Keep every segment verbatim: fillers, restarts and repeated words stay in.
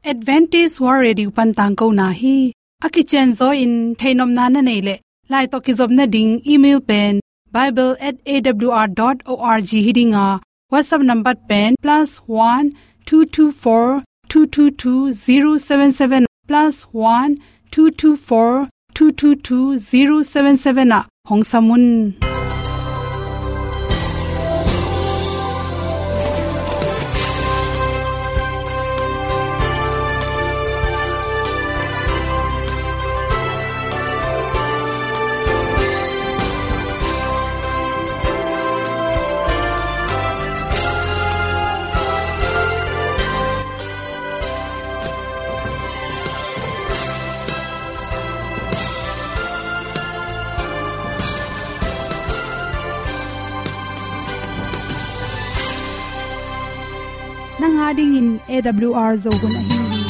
Adventist World Radio pan tangkona hi. A kicianzaw in theihnopna na neih leh, lai tawh kizopna ding email pen bible at A W R dot O R G hi ding a, WhatsApp number pen plus one two two four two two two zero seven seven, plus one two two four two two two zero seven seven ah hong sam un. Nang a dingin A W R Zo hun ahi hi.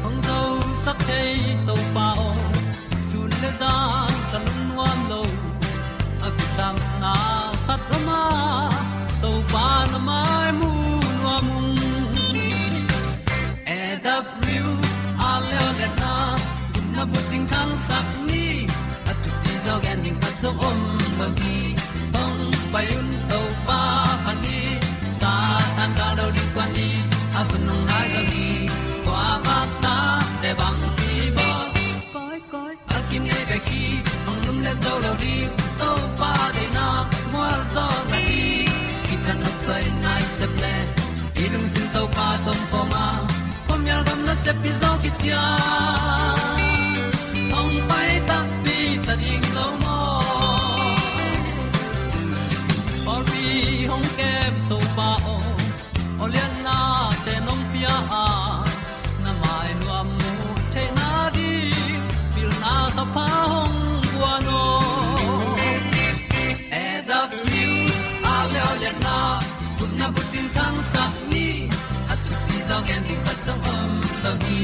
Hong zosak thei Topa aw, sun le zan ka lungnuam lo. A kisapna khat om a, Topa na mai mu nuam ung. A W R leo le na, na bucing khangsak ni, a thupi zaw gen ding khat zong om lo hi. Hong pai un Topa pha ni, Satan ka lo ding kua ni, a hun hong nai zaw hi. Kua bak ta te bang hi baw. Koi, koi, a kim ngei bek hi, hong lum le zo lo ding, Topa deihna mual zaw na hi. Kitang a soi nai sep le, i lungsim Topa tawh om khawm a, khuamial gam nasep pi zaw kician, hong pai takpi ta ding lo maw. Pawlpi hong kem Topa aw, aw lianna te nong pia a, na mai nuam mu theihna ding, pilna ka pha hong guan aw. A W R leo le na, gupna bucing khangsak ni, a thupi zaw gen ding khat zong om lo hi.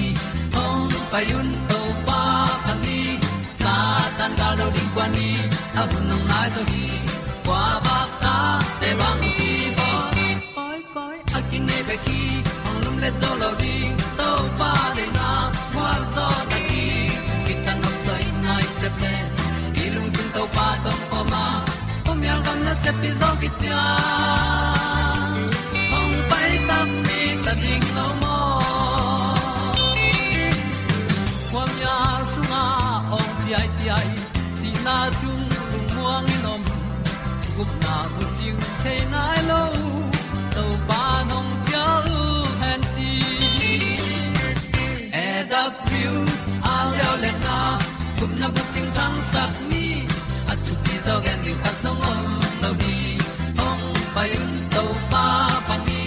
Hong pai un Topa pha ni, Satan ka lo ding kua ni, a hun hong nai zaw hi. Kua bak ta te bang hi baw. Koi, koi, a kim ngei bek hi, hong lum le zo lo ding, Topa deihna mual zaw na hi. Kitang a soi nai sep le, i lungsim Topa tawh om khawm a, khuamial gam nasep pi zaw kician, hong pai takpi ta ding lo maw. Khuamial sungah awng ciaiciai, sihna sung lungmuang in om, gupna bucing thei nai lo, Topa nong cial hen ci. A W R leo le na, gupna bucing khangsak ni, a thupi zaw gen ding khat zong om lo hi. Hong pai un Topa pha ni,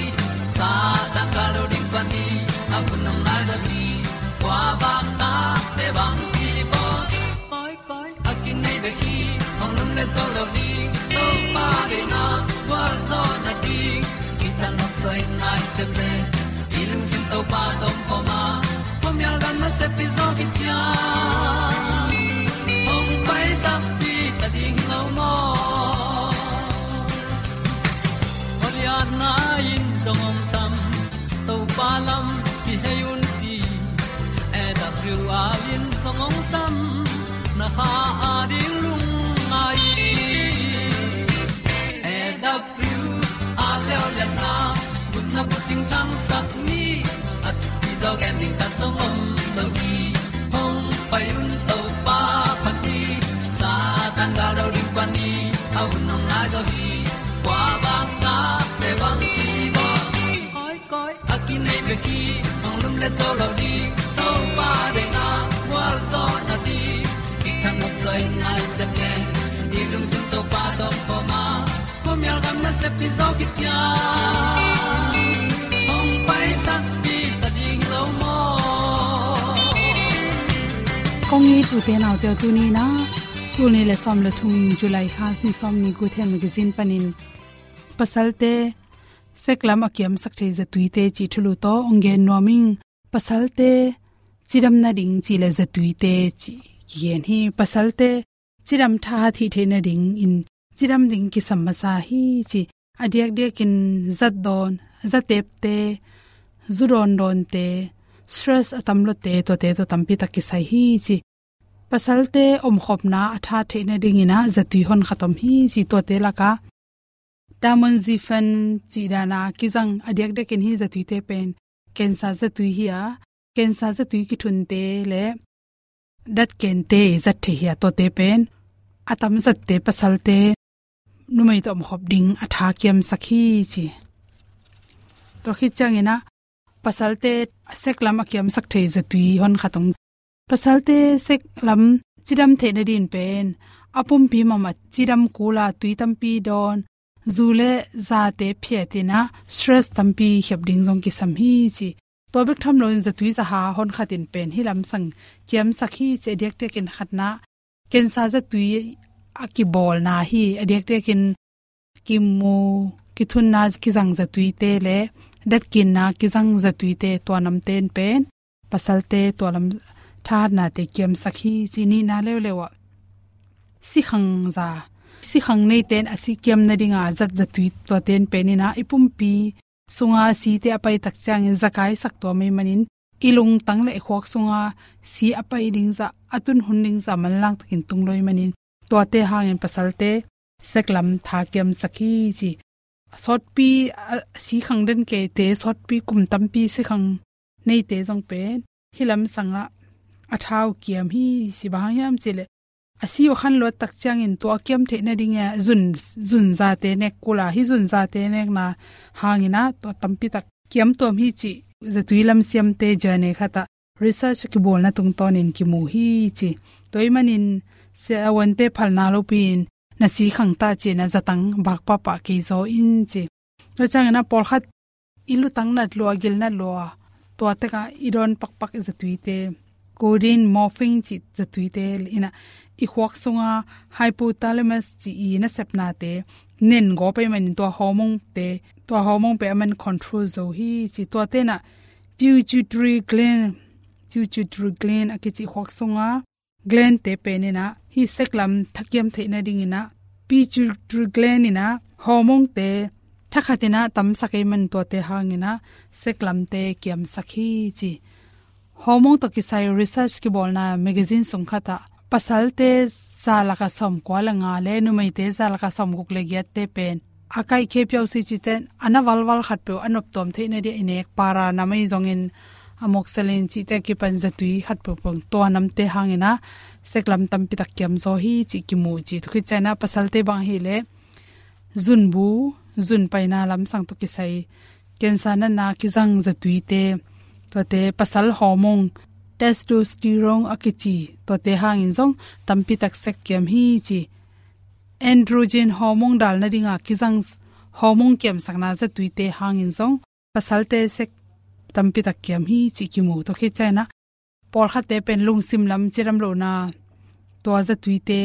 Satan ka lo ding kua ni, a hun hong nai zaw hi. Kua bak ta te bang hi baw. Koi, koi, a kim ngei bek hi, hong lum le zo lo ding, Topa deihna mual zaw na ding. Kitang a soi nai sep le, i lungsim Topa tawh om khawm a, khuamial gam nasep pi zaw kician, hong pai takpi ta ding lo maw. Aw lianna in zong hong sam, Topa lam kihei un ci. A W R in zong hong sam, na kha a ding lungngai. A W R leo le na, gupna bucing khangsak ni, a thupi zaw gen ding khat zong om lo hi. Hong pai un Topa pha ni, Satan ka lo ding kua ni, a hun hong nai zaw hi. Kua bak ta te bang hi baw. Koi, koi, a kim ngei bek hi, hong lum le zo lo ding, Topa deihna mual zaw na ding. Kitang a soi nai sep le, i lungsim Topa tawh om khawm a, khuamial gam nasep pi zaw kician, hong pai takpi ta ding lo maw. Kong it ute naute aw, tuni in ah, tul nih le sawm le thum, July kha ni sawm ni, Good Health Magazine panin pasalte sek lam a kiamsak thei zatuite cih thulu tawh hong gen nuam ing. Pasalte cidam nading cih le zatuite cih kigen hi. Pasalte cidam thahat hih theih nadingin cidam ding kisam masa hi ci. A diakdiakin zat dawn, zatepte, zu dawndawnte, stress a tam lote, tuate tawh tampi tak kisai hi ci. Pasalte omkhopna a thahat theih nadingin ah zatui honkhat om hi ci. Tuate lakah tamoxifen cih dana kizang a diakdiakin hih zatuite pen cancer zatui hi a, cancer zatui kithunte le datkente zat thei hi a, tuate pen a tam zatte pasalte numei tawh omkhop ding a tha kiamsak hi ci. Tua khit ciangin ah pasalte sek lam a kiamsak thei zatui honkhat om. Pasalte sek lam cidam theih nadingin pen a pumpi mama cidam kula tui tampi dawn, zu le zate phiatin ah stress tampi khiap ding zong kisam hi ci. Tua bek tham loin zatui zaha honkhatin pen hih lamsang kiamsak hi ci. A diakdiakin khatna cancer zatui a kibawlna hi. A diakdiakin kimu, kithunna kizang zatuite le datkinna kizang zatuite, tua namte in pen pasalte tua lam thahatnate kiamsak hi ci. Nihna leuleu ah sikhang za, sikhang neite in a si kiam nadinga zat zatui, tuate in pen in ah i pumpi sunga site a pai tak ciangin zakaisak tua mei manin i lungtang le i khuak sunga si a pai ding zah, a tun hun ding zah manlang takin tung lo i manin, tuate hangin pasalte sek lam tha kiamsak hi ci. Sawtpi, a, sikhang den keite, sawtpi kum tampi sikhang neite zong pen hih lamsang ah a tha uh kiam hi ci. Bang hang hiam cih leh a si uh khan luat tak ciangin tua a kiam theih nading a zun, zun zate nek kula, hih zun zate nekna hangin ah tua tampi tak kiam tuam hi cih zatui lam siamte journal khat ah research a kibawlna tungtawnin kimu hi ci. Tua i manin siavuante phalna lopi-in na sikhang ta ci-in ah zatang bak pahpah kei zaw in ci. Tua ciangin ah pawlkhat i lutang nat lua, gil nat lua, tua tekah i dawn pakpak i zatuite, codeine, morphine cih zatuite in ah i khuak sunga hypothalamus cih i nasepnate nen gawp ahih manin tua hormone-te, tua hormone pen aman control zo hi ci. Tuate in ah pituitary gland, pituitary gland a kici khuak sunga gland-te pen in ah hih sek lam tha kiam theih nadingin ah pituitary gland in ah hormone-te thakhatin ah tamsak ahih manin tuate hangin ah sek lamte kiamsak hi ci. Hormone tawh kisai research kibawlna magazine sung khat ah pasalte za lakah sawmkua le nga le numeite za lakah sawmguk le giatte pen a kaihkhia piau si cihte in a na valval khatpeuh a noptuam theih nading a i nek para nam ahi zongin amoxicillin cihte a kipan zatui khatpeuh peuh tua namte hangin ah sek lam tampi tak kiam zaw hi cih kimu ci. Tua khit ciangin ah pasalte bang ahih leh zunbu, zun paina lamsang tawh kisai cancer natna kizang zatuite, tuate pasal hormone, testosterone a kici, tuate hangin zong tampi tak sek kiam hi ci. Androgen hormone dal nadinga kizang s-, hormone kiamsakna zatuite hangin zong pasalte sek tampi tak kiam hi cih kimu. Tua khit ciangin ah pawlkhatte pen lungsim lam cidam lohna tua zatuite,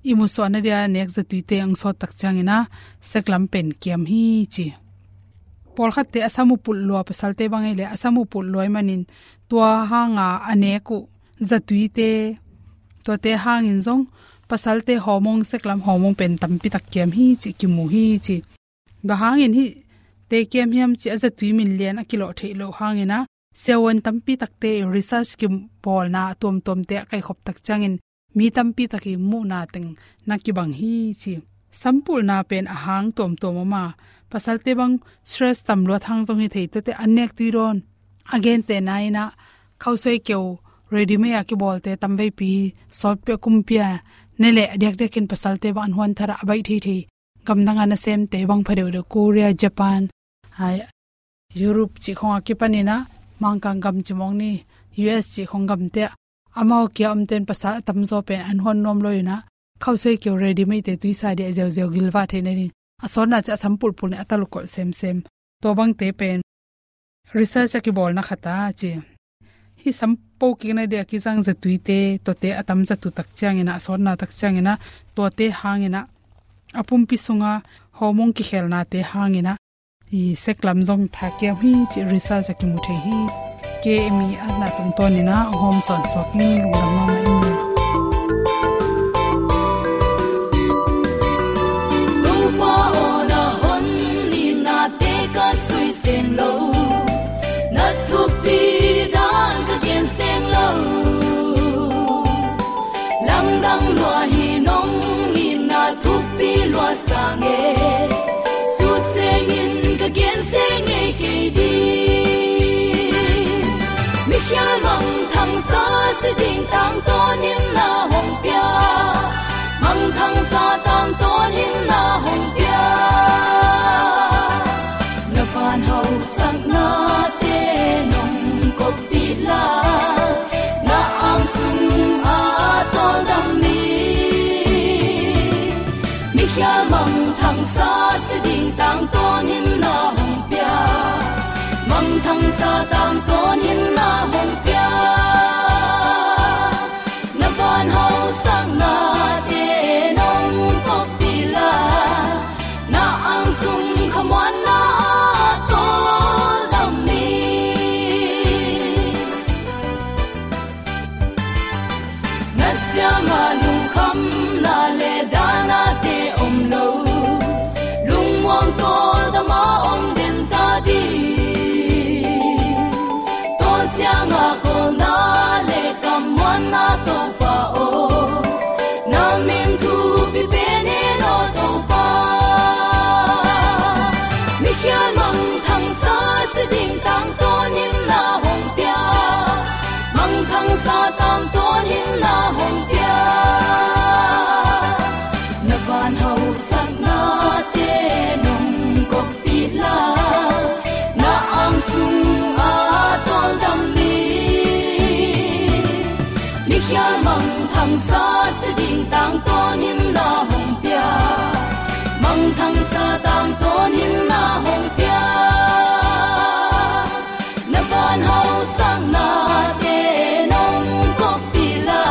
i musuahna dia nek zatuite ang sawt tak ciangin ah sek lam pen kiam hi ci. Pawlkhatte a sam uh pulh lua, pasalte bang ahih leh a sam uh pulh lua ahih manin tua hanga a nek uh zatuite, tuate hangin zong pasalte hormone, sek lam hormone pen tampi tak kiam hi cih kimu hi ci. Bang hangin hihte kiam hiam cih a zatui min lian a kilawh theih loh hangin ah siavuan tampi takte i research kibawlna a tuamtuamte a kaihkhop tak ciangin mi tampi tak i muhna teng na kibang hi ci. Sampulna pen a hang tuamtuam om a, pasalte bang stress tam luat hang zong hi thei, tuate an nek tui dawn. A gentehna in ah khausuai keu ready-made a kibawlte tamveipi sawtpi a kumpi a ne leh a diakdiakin pasalte bang an huan thar a, a baih theithei gamdang a nasemte bang pha deuhdeuh, Korea, Japan, ai, Europe cih khong a kipanin ah Mangkang gam ci mawk ni, U S cih khong gamte ah amau kia omte in pasal a tamzaw pen an huan nuam lo in ah khausuai keu ready-made-te tuisa dia ziauziau gilvah theih nading a sawtna ci a sam pulpul in a taluk kolh semsem. Tua bangte pen research a kibawlna khat a ci. Hih sam po kikna dia kizang zatuite, tuate a tam zatu tak ciangin ah, a sawtna tak ciangin ah, tuate hangin ah a pumpi sunga hormone kikhelnate hangin ah i sek lam zong tha kiam hi cih research a kimu thei hi. Kei mi atna tungtawnin ah hong hawm sawnsuak in, lungdam mahmah in. Thupi lua sa ngei, sut sengin ka gen seng ngei kei ding. Mikhial mangthang sa si ding tangtawn in na hong pia. Mangthang sa tangtawn in na hong pia. Na van hausaknate nong koppih la, na ang sung a tawldam mi. Mikhial mangthang sa si ding tangtawn in na hong pia. Mangthang sa tangtawn in na hong pia. Na van hausaknate nong koppih la, na ang sung khamuanna a tawldam mi. Na siangah lungkhamna le danate om lo, lungmuang tawldam a om den ta ding. Tawl ciangah kawlna le kammuanna Topa aw, na min thupi pen hi lo Topa. Mikhial mangthang sa si ding tangtawn in na hong pia. Mangthang sa tangtawn in na hong pia. Na van hausaknate nong koppih la, na ang sung a tawldam mi. Mikhial mangthang sa si ding tangtawn in na hong pia. Mangthang sa tangtawn in na hong pia. Na van hausaknate nong koppih la,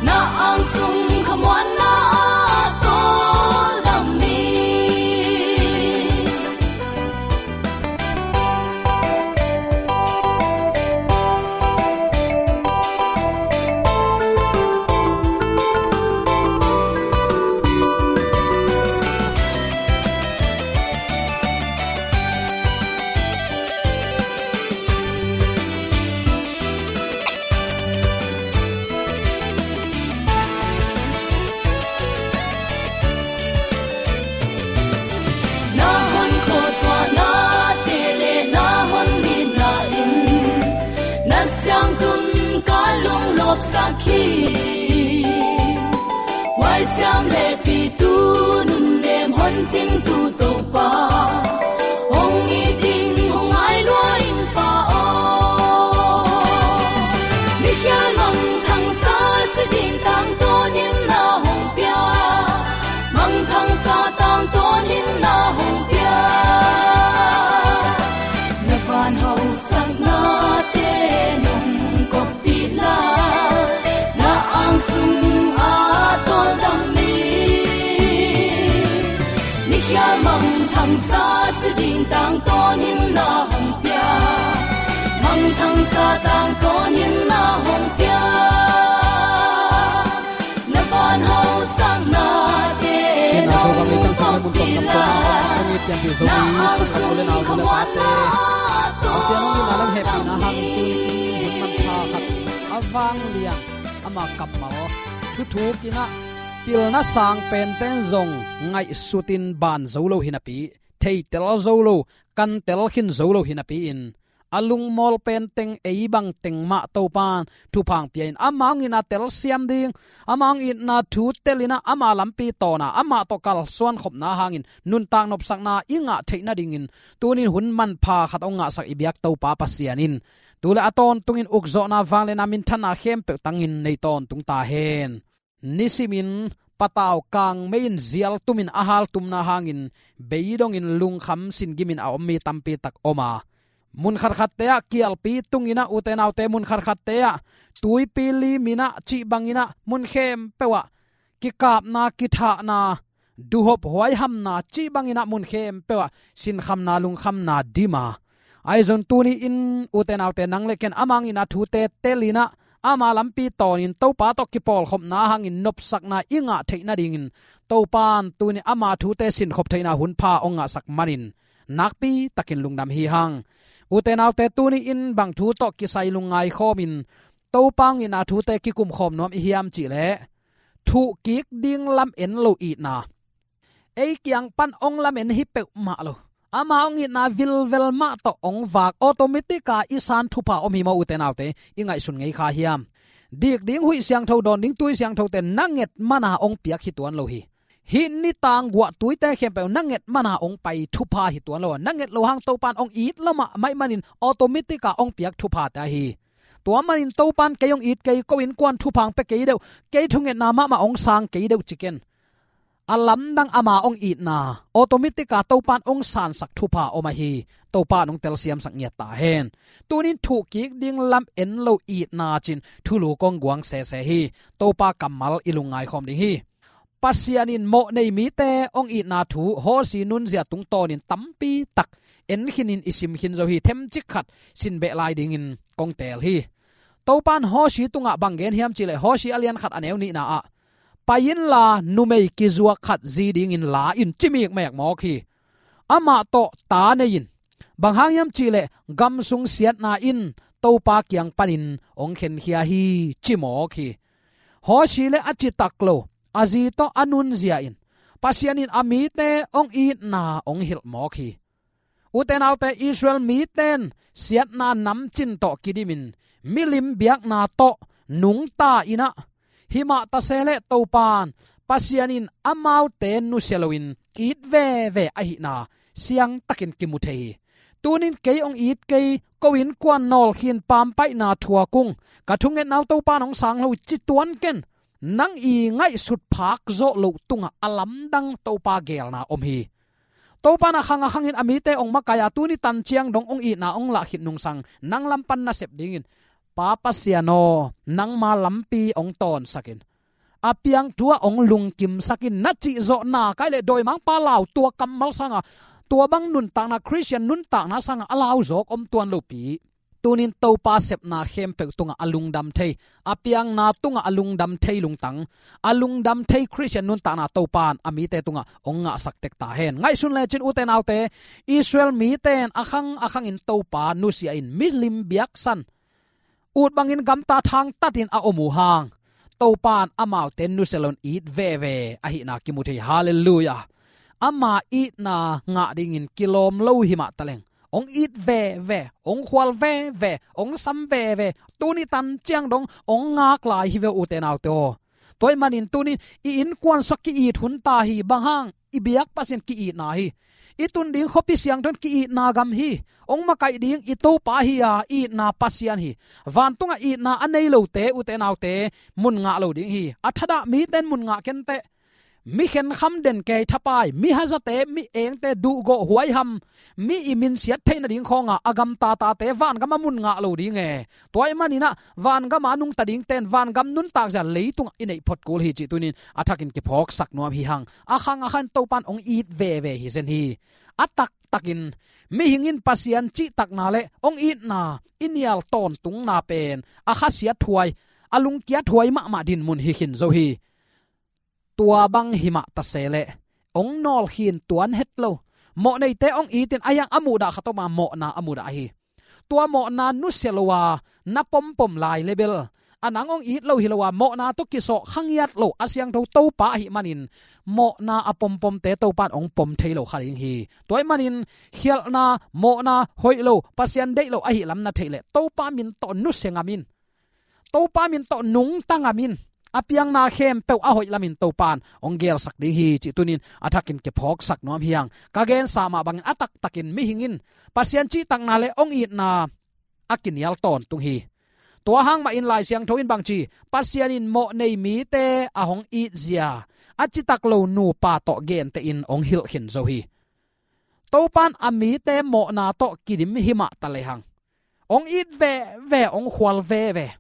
na ang sung khamuanna a tawldam mi. Na hon khuatuahnate le na hon nitna in na siangtun ka lunglawpsak hi. Huaisiam le pitu nunnem hon cingtu Topa, hong it ing, hong ngai lua ing Pa aw. Mikhial mangthang sa si ding tangtawn in na hong pia. Mangthang sa tangtawn in na hong pia. Na van hausaknate nong koppih la, na ang sung a tawldam mi. Mikhial mangthang sa si ding tangtawn in na hong pia. Mangthang sa tangtawn in na hong pia. Na van hausaknate nong koppih la, na ang sung khamuanna a tawldam mi. Pasian hong itna lam hehpihna hangin tuni hun manpha khat a vanglian ama kammal thuthukin ah pilna sang penten zong ngaihsutin ban zo lo hi napi, theitel zo lo, kantel khin zo lo hi napi-in a lungmawl penteng ei bangteng mah Topan thupha hong pia-in ama hong itna telsiam ding, ama hong itna thu telin ah ama lampi tawn a amah tawh kalsuan khopna hangin nuntak nopsakna i ngah theih nadingin tunin hun manpha khat hong ngahsak i biak Topa Pasian in tu le a tawntungin ukzawhna vangliatna minthanna khempeuh tangin nei tawntung ta hen. Nisimin patau kangmei in zial tumin a haltumna hangin beidongin lungkham singimin a om mi tampi tak om a, mun khatkhatte ah kialpi tungin ah, ute naute, mun khatkhatte ah tuipi limin ah cih bangin ah mun khempeuh ah kikapna, kithahna, duhop huaihamna cih bangin ah mun khempeuh ah sinkhamna, lungkhamna dim a, ahi zong tuni-in ute naute, nang le ken ama hong itna thute telin ah ama lampi tawnin Topa tawh kipawlkhopna hangin nopsakna i ngah theih nadingin Topan tuni ama thute sinkhop theihna hunpha hong ngahsak manin nakpi takin lungdam hi hang. Ute naute, tuni-in bang thu tawh kisai lungngai khawmin Topa hong itna thute kikumkhawm nuam i hiam cih leh, Thuhkik ding lamen lo itna. Ei kiang pan hong lamen hi peuhmah lo. Ama hong itna vilvel mah tawh hong vak, automatic a i san thupha om hi maw, ute naute, i ngaihsun ngei kha hiam? Dik ding huih siangtho, dawn ding tui siangthote na nget mana hong piak hi tuan lo hi. Hih nitang guah tuite khempeuh na nget mana hong pai thupha hi tuan lo. Na nget loh hang Topan hong it lo mahmah ahih manin automatic a hong piak thuphate ahi. Tua manin Topan kei hong it kei, ko innkuan thupha hong pia kei deuh, kei thungetna mahmah hong sang kei deuh ci ken. A lamdang ama hong itna, automatic a Topan hong sansak thupha om ahi. Topan hong telsiamsak ngiat ta hen. Tunin thuhkik ding lamen lo itna cin thulu kong guang sese hi. Topa kammal i lungngai khawm ding hi. Pasian in mawh nei mite hong itna thu Hawsi nunzia tungtawnin tampi tak en khinin i sim khin zo hi. Themcik khat sin beh lai dingin kong teel hi. Topan Hawsi tungah bang gen hiam cihleh, Hawsi a lian khat a neu nihna ah, "Pai inla numei kizuak khat zi dingin la in," ci mikmek mawk hi. Amah tawh ta nei in. Bang hang hiam cihleh, "Gam sung siatna in Topa kiang panin hong khenkhia hi," ci mawk hi. Hawsi le a citak lo a zi tawh a nunzia in Pasian in a mite hong itna hong hilh mawk hi. Ute naute, Israel miten siatna namcin tawh kidimin milim biakna tawh nungta in ah, himah tase leh Topan Pasian in amaute nusia loin it veve ahihna siangtakin kimu thei hi. Tunin kei hong it kei, ko innkuan nawlkhin pampaihna thuak ung, ka thungetna uh Topan hong sang lo ci tuan ken. Nang i ngaihsut phak zawh loh tungah a lamdang Topa geelna om hi. Topan a khang a khangin a mite hong makaih a, tuni tan ciang dong hong itna hong lah khit nungsang nang lam pan na sep dingin, "Pa Pasian aw, nangma lampi hong tawnsak in. A piang thu ah hong lungkimsak in," na cih zawh nak leh dawimangpa lau tua kammal sangah, tua bang nuntakna, Khristian nuntakna sangah a lau zawk om tuan lopi. Tunin Topa sepna khempeuh tungah a lungdam thei, a piangna tungah a lungdam thei lungtang, a lungdam thei Khristian nuntakna Topan a mite tungah hong ngahsak tek ta hen. Ngaihsun lecin ute naute, Israel miten a khang a khangin Topa nusia in milim biaksan, ut bangin gamta thangtatin a om uh hang, Topan amaute nusia loin it veve ahihna kimu thei. Halleluiah. Ama itna ngah dingin kilawm lo hi mah taleng, hong it veve, hong khual veve, hong sam veve, tuni tan ciang dong hong ngak lai hi ve ute naute aw. Tua ahih manin tunin i innkuan sua ki-it hun ta hi. Bang hang? I biak Pasian ki-itna hi. I tun ding khuapi siangtho in ki-itna gam hi. Hong makaih ding i Topa hi a, itna Pasian hi. Vantungah itna a nei lote, ute naute, mun ngah lo ding hi. A thadah miten mun ngah kenteh. Mi khenkham, den kei, thapai, mi hazate, mi engte, duhgawh, huaiham, mi i minsiat theih nading khawngah a gamtatate vangam a mun ngah lo ding e. Tua ahih manin ah vangam a nungta dingten vangam nuntak zia leitungah i neih phot kul hi cih tunin a thakin kiphawksak nuam hi hang. A khang a khangin Topan hong it veve hi zen hi. A taktakin mihing in Pasian cihtakna le hong itna i nial tawntungna pen a khasiathuai, a lungkiathuai mahmah dinmun hi khin zo hi. Tua bang hi mah tase leh hong nawlkhin tuan het lo. Mawhneite hong itin a hiang a muhdah khat om a, mawhna a muhdah hi. Tua mawhna nusia lo a na pompom lai lebel, a nang hong it lo hi lo a, mawhna tawh kisawh kha ngiat lo a siangtho Topa ahih manin, mawhna a pompomte Topan hong pom thei lo kha ding hi. Tua ahih manin khialhna, mawhna, hoih lo, Pasian deih lo ahih lam na theih leh Topa min tawh nusia ngam in. Topa min tawh nungta ngam in. A piangna khempeuh a hoih lamin Topan hong geelsak ding hi cih tunin a thakin kiphawksak nuam hi hang. Ka gensa mah bangin a taktakin mihing in Pasian cihtakna le hong itna a kinial tawntung hi. Tua hang mahin Lai Siangtho in bangci, Pasian in mawhnei mite a hong itzia a citak lo nupa tawh gentehin hong hilh khin zo hi. Topan a mite mawhna tawh kidim hi mah ta lehang, hong it veve, hong khual veve.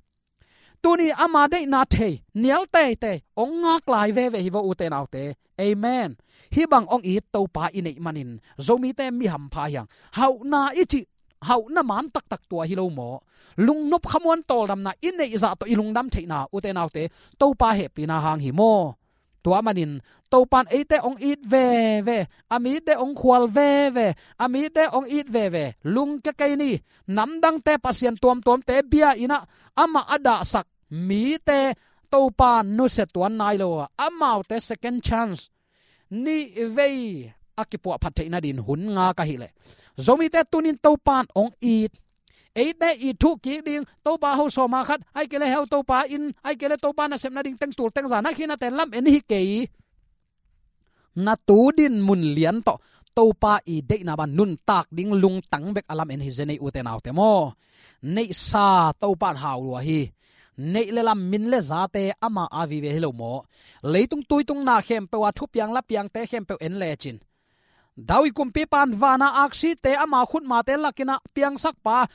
Tuni ama deihna thei, nial teitei, hong ngak lai veve hi vo ute naute. Amen. Hih bang hong it Topa i neih manin Zomite mi hampha hi hang. Hauhna i cih, hauhna man taktak tua hi lo maw? Lungnop khamuan tawldamna i neih zah tawh i lungdam theihna ute naute, Topa hehpihna hang hi maw? Tua manin Topan eite hong it veve, a mite hong khual veve, a mite hong it veve. Lungkia kei ni. Namdangte, pasian tuamtuamte bia in ah amah a dahsak mite Topa nusia tuan nai lo a, amaute second chance, nih vei a kipuahphat theih nadin hun ngak ahih leh, Zomite tunin Topa in hong it, eite it thuh kik ding, Topa ho sawma khat, ahih kei leh heu Topa in, ahih kei leh Topa nasep nading teng tul teng za na khinate lam en hi kei. Na tu dinmun lian tawh Topa i deihna bang nuntak ding lungtang bek a lam en hi zen ei, ute naute maw. Neihsa Topa in hau lua hi. Neih le lam, min le zate ama a vive hi lo maw. Leitung tuitung na khempeuh a thupiang lapiangte khempeuh en lecin, David kumpipa in vana aksite ama khutmate lakin ah piangsakpa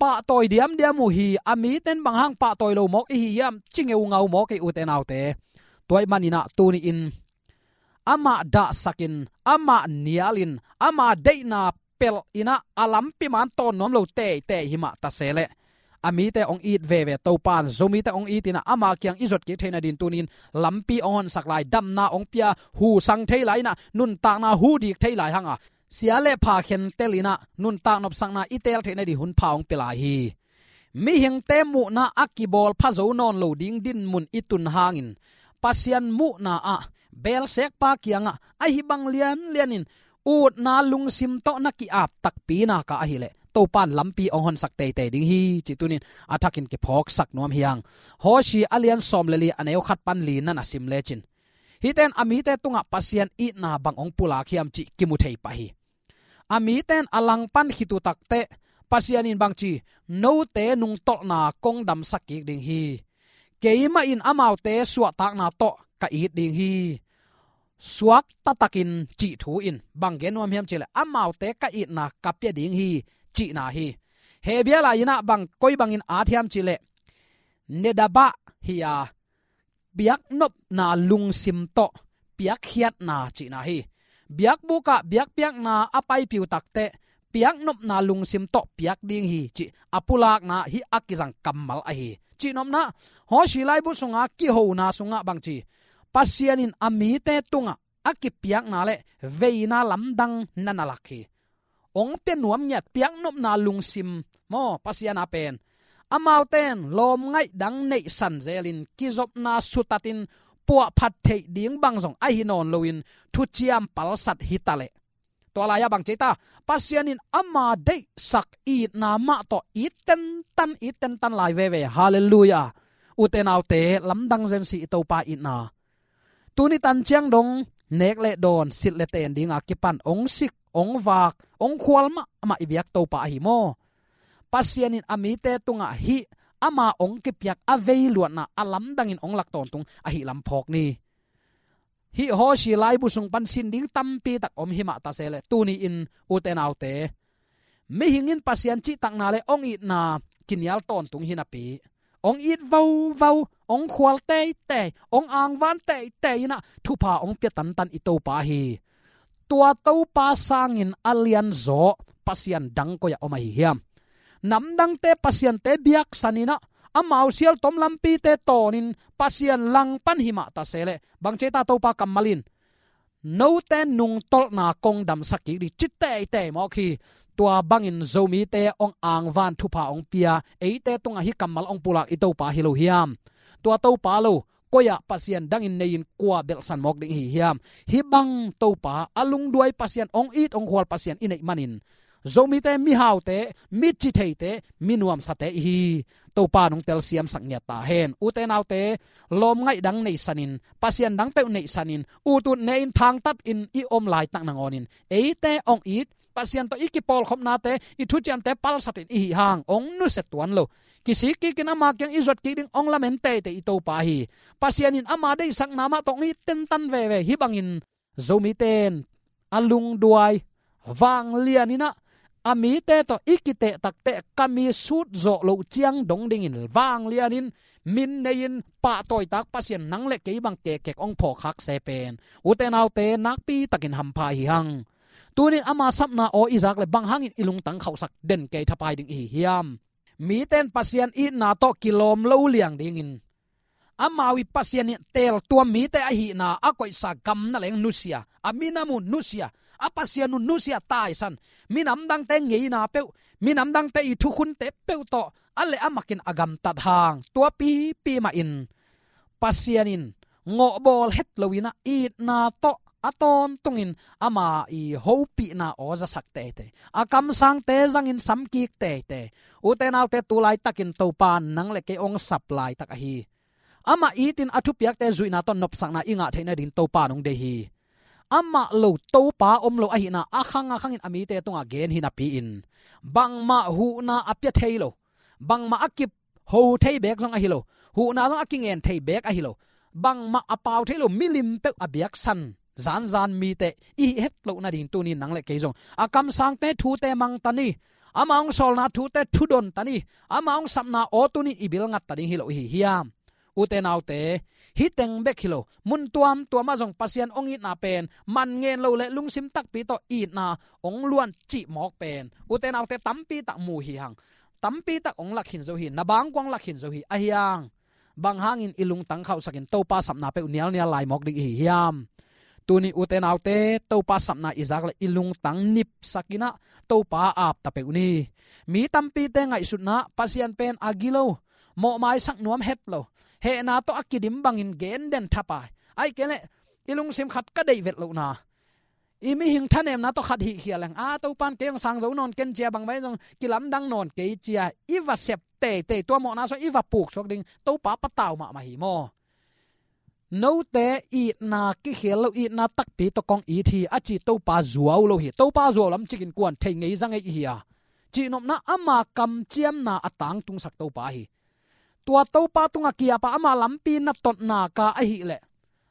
pahtawi diamdiam uh hi. A mite in bang hang pahtawi lo mawk i hi hiam, ci ngeungau mawk ei, ute naute. Tua ahih manin ah tuni-in amah dahsakin, amah nialin, ama deihna pelh in ah a lampi man tawn nuam lo teitei hi mah ta se leh, a mite hong it veve Topa in, Zomite hong it in ah ama kiang i zot kik theih nadin tuni-in lampi hong honsak lai, damna hong pia, hu sang thei lai in ah, nuntakna hu dik thei lai hang a, sia le pha khentel in ah nuntak nopsakna i teel theih nadin hun pha hong pia lai hi. Mihingte muhna a kibawl pha zo nawn lo ding dinmun i tun hangin, Pasian muhna ah, beelsekpa kiangah ahi bang lianlianin utna lungsim tawh na ki-ap takpi nak a ahih leh, Topa in lampi hong honsak teitei ding hi, cih tunin a thakin kiphawksak nuam hi hang. Hosea a lian sawm le li, a neu khat pan li na na sim lecin, hihte in a mite tungah Pasian itna bang hong pulak hiam cih kimu thei pah hi. A mite in a langpan khit uh takteh, Pasian in bangci, note nungtolhna kong damsak kik ding hi. Keimah in amaute suahtakna tawh ka it ding hi. Suakta takin cih thu in bang gen nuam hiam cih leh, amaute ka itna ka pia ding hi, cihna hi. Hebru lai in ah bang, koi bangin at hiam cih leh, Nedabah hi a, piaknopna lungsim tawh piakkhiatna cihna hi. Biakbuk ah biakpiakna a paipih uh takteh, piaknopna lungsim tawh piak ding hi, cih a pulakna hih a kizang kammal ahi. Cihnopna, Hosea laibu sunga kihona sungah bangci, Pasian in a mite tungah a kipiakna le veina lamdang na na lak hi. Hong pia nuam ngiat piaknopna lungsim maw, Pasian a pen. Amaute in lawmngaih dang neihsan zelin kizopna sutatin puahphat theih ding bang zong ahi nawn loin thuciam palsat hi ta leh, tua lai-ah bang ci ta, Pasian in ama deihsak itna mah tawh it tentan, it tentan lai veve. Halleluiah. Ute naute, lamdang zen si i Topa itna. Tuni tan ciang dong nek le dawn, silh le ten dinga kipan hong sik, hong vak, hong khual mahmah i biak Topa ahi maw. Pasian in a mite tungah hih ama hong kipiak a veiluatna a lamdangin hong lak tawntung ahih lam phawk ni. Hih Hosea laibu sung pan sin ding tampi tak om hi mah ta se leh, tuni-in ute naute, mihing in Pasian cihtakna le hong itna kinial tawntung hi napi, hong it vauvau, hong khual teitei, hong angvan teitei in ah thupha hong pia tantan i Topa hi. Tua Topa sangin a lianzaw Pasian dang koi-ah om ahi hiam? Namdangte pasiante biaksan in ah, amau sialtom lampite tawnin Pasian langpan hi mah ta se leh, bang ci ta Topa kammal in, note nungtolhna kong damsak kik ding, ci teitei mawk hi. Tua bangin Zomite hong angvan, thupha hong pia, eite tungah hih kammal hong pulak i Topa hi lo hiam? Tua Topa lo, koi-ah Pasian dangin nei-in kua belhsan mawk ding i hi hiam? Hih bang Topa, a lungduai Pasian, hong it hong khual Pasian i neih manin, Zomite mihaute, mi citheite, mi nuamsate i hi. Topa in hong telsiamsak ngiat ta hen. Ute naute, lawmngaih dang neihsanin, Pasian dang peuh neihsanin, utut ne-in thangtatin i om laitak nangawnin, eite hong it, Pasian tawh i kipawlkhopnate, i thuciamte palsatin i hih hang hong nusia tuan lo. Kisik kikin ama kiang i zuat kik ding hong lamen teitei i Topa hi. Pasian in ama deihsakna mah tawh hong it tentan veve. Hih bangin Zomite in a lungduai, vanglian in ah, a mite tawh i kiteh takteh ka mi sut zawh loh ciang dong dingin vanglianin, min nei-in, pahtawitak Pasian nang le kei bang kekhek hong phawk khak se pen, ute naute, nakpi takin hampha i hi hang. Tunin ama sapna aw i zak leh bang hangin i lungtang khauhsak den kei thapai ding i hi hiam? Mite in Pasian itna tawh kilawm lo liang dingin, amau i Pasian in teeltuam mite ahihna a koihsa gam na leng nusia, a minam uh nusia, a Pasian uh nusia taisan, minam dangte ngeina peuh, minam dangte i thukhunte peuh tawh a leh a makin a gamtat hang, tua pipi mahin Pasian in ngawhbawl het lo in ah itna tawh a tawntungin ama i hopihna aw zasak teitei, a kamsangte zangin samkik teitei. Ute naute, tu laitakin Topa nang le kei hong sap laitak ahi. Amah itin a thupiakte zuihna tawh nopsakna i ngah theih nading Topa nong deih hi. Amah lo Topa om lo ahihna a khang a khangin a mite tungah gen hi napi-in, bangmah huhna a pia thei lo, bangmah a kip ho thei beek zong ahi lo, huhna zong a kingen thei beek ahi lo, bangmah a pau thei lo milim peuh a biaksan zanzan mite i hih het loh nading tuni nang le kei zong a kamsangte thute mang ta ni. Ama hong sawlna thute thudon ta ni. Ama hong sapna aw tuni i bil ngat ta ding hi lo i hi hiam? Ute naute, hih teng bek hi lo, mun tuamtuamah zong Pasian hong itna pen man ngen lo le lungsim takpi tawh itna hong luan cih mawk pen ute naute tampi tak mu hi hang. Tampi tak hong lak khin zo hi, na bangkuang lak khin zo hi. Ahi hang, bang hangin i lungtang khauhsakin Topa sapna peuh nialnial lai mawk ding i hi hiam? Tuni ute naute, Topa sapna i zak le i lungtang nipsakin ah Topa ap ta peuh ni. Mi tampite ngaihsutna Pasian pen a gilo, mawhmaisak nuam het lo, hehna tawh a kidim bangin gen den thapai. Ahih kei leh i lungsim khat ka deih vet lohna, i mihing thanemna tawh khat hih khial leng, a, Topan kei hong sang zo nawn ken cia, bangmah zong kilamdang nawn kei cia i va sep teitei, tua mawhna sung i va puk suak ding Topa patau mahmah hi maw? Note itna kikhel lo, itna takpi tawh kong it hi a ci Topa zuau lo hi. Topa zuau lam cikin kuan thei ngei za ngei i hi a, cihnopna ama kamciamna a tangtungsak Topa hi. Tua Topa tungah kiapa ama lampi na totna ka ahih leh,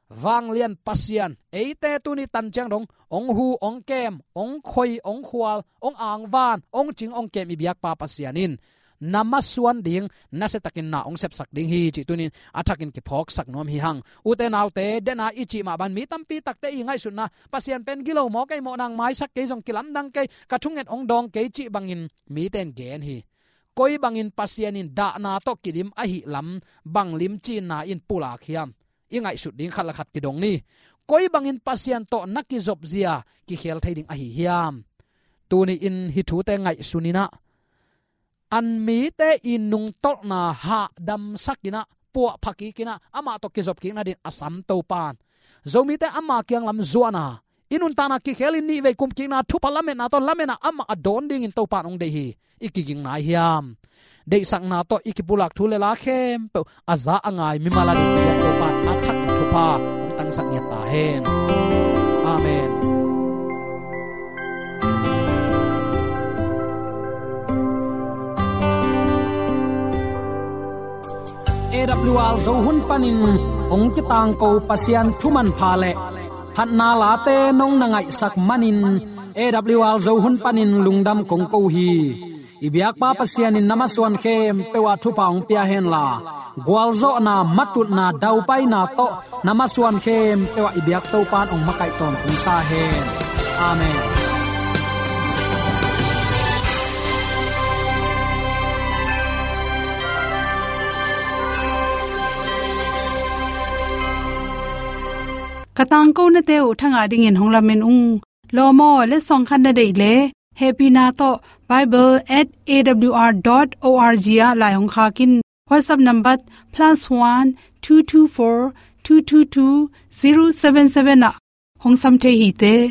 vanglian Pasian eite tuni tan ciang dong hong hu, hong kem, hong khoi, hong khual, hong angvan, hong cing, hong kem i biakpa Pasian in na masuan ding, nasiatakin na hong sepsak ding hi cih tunin a thakin kiphawksak nuam hi hang. Ute naute, dena i cih mah bang mi tampi takte i ngaihsutna, Pasian pen gilo maw kei, mawh nang maisak kei zong kilamdang kei, ka thunget hong dawng kei cih bangin mite in gen hi. Koi bangin Pasian in dahna tawh kidim ahih lam bang limcinna in pulak hiam? I ngaihsut ding khat le khat kidong ni. Koi bangin Pasian tawh na kizop zia kikhel thei ding ahi hiam? Tuni in hih thute ngaihsun in ah, an mite i nungtolhna hahdamsak in ah, puahpha kik in ah, amah tawh kizop kik nadin a sam Topan Zomite ama kiang lam zuahna, i nuntakna kikhel in nihvei kumkikna thupha lametna tawh lametna amah a dawn dingin Topan hong deih hi. I kiging nai hiam? Deihsakna tawh i kipulak thu le la khempeuh a za a ngai mimal a ding piak Topan a thak thupha hong tangsak ngiat ta hen. Amen. A W R Zo hun panin hong kitangko Pasian thu manpha le phatna late nong na ngaihsak manin A W R Zo hun panin lungdam kong ko hi. I biakpa Pasian in na masuan khempeuh ah thupha hong pia henla, gualzawhna, matutna, daupaina tawh na masuan khempeuh ah i biak Topan hong makaih tawntung ta hen. Amen. Ka tangkonate uh thangah dingin hong lamen ung. Lawm aw, letsong khat na deih leh hehpihna tawh bible at A W R dot O R G ah lai hong khak in. WhatsApp number plus one two two four two two two zero seven seven ah hong sam thei hi te.